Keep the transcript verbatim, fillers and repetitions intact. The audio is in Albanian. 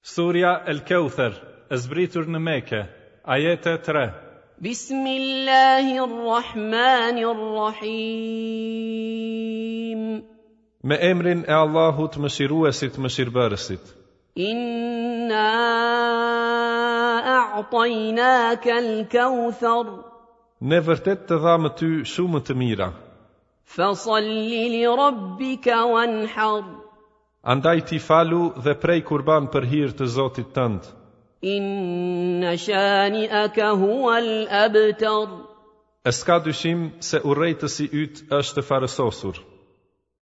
Surja El Keuther, e zbritur në Mekë, ajete tre. بسم الله الرحمن الرحيم. Me emrin e Allahut, Mëshiruesit, Mëshirbërësit. إنا أعطيناك الكوثر. Ne vërtet të dhamë ty shumë të mira. فصل لربك وانحر. Andaj ti falu dhe prej kurban për hir të Zotit tënd. إن شانئك هو الأبتر. E s'ka dyshim se urrejtësi yt është farësosur.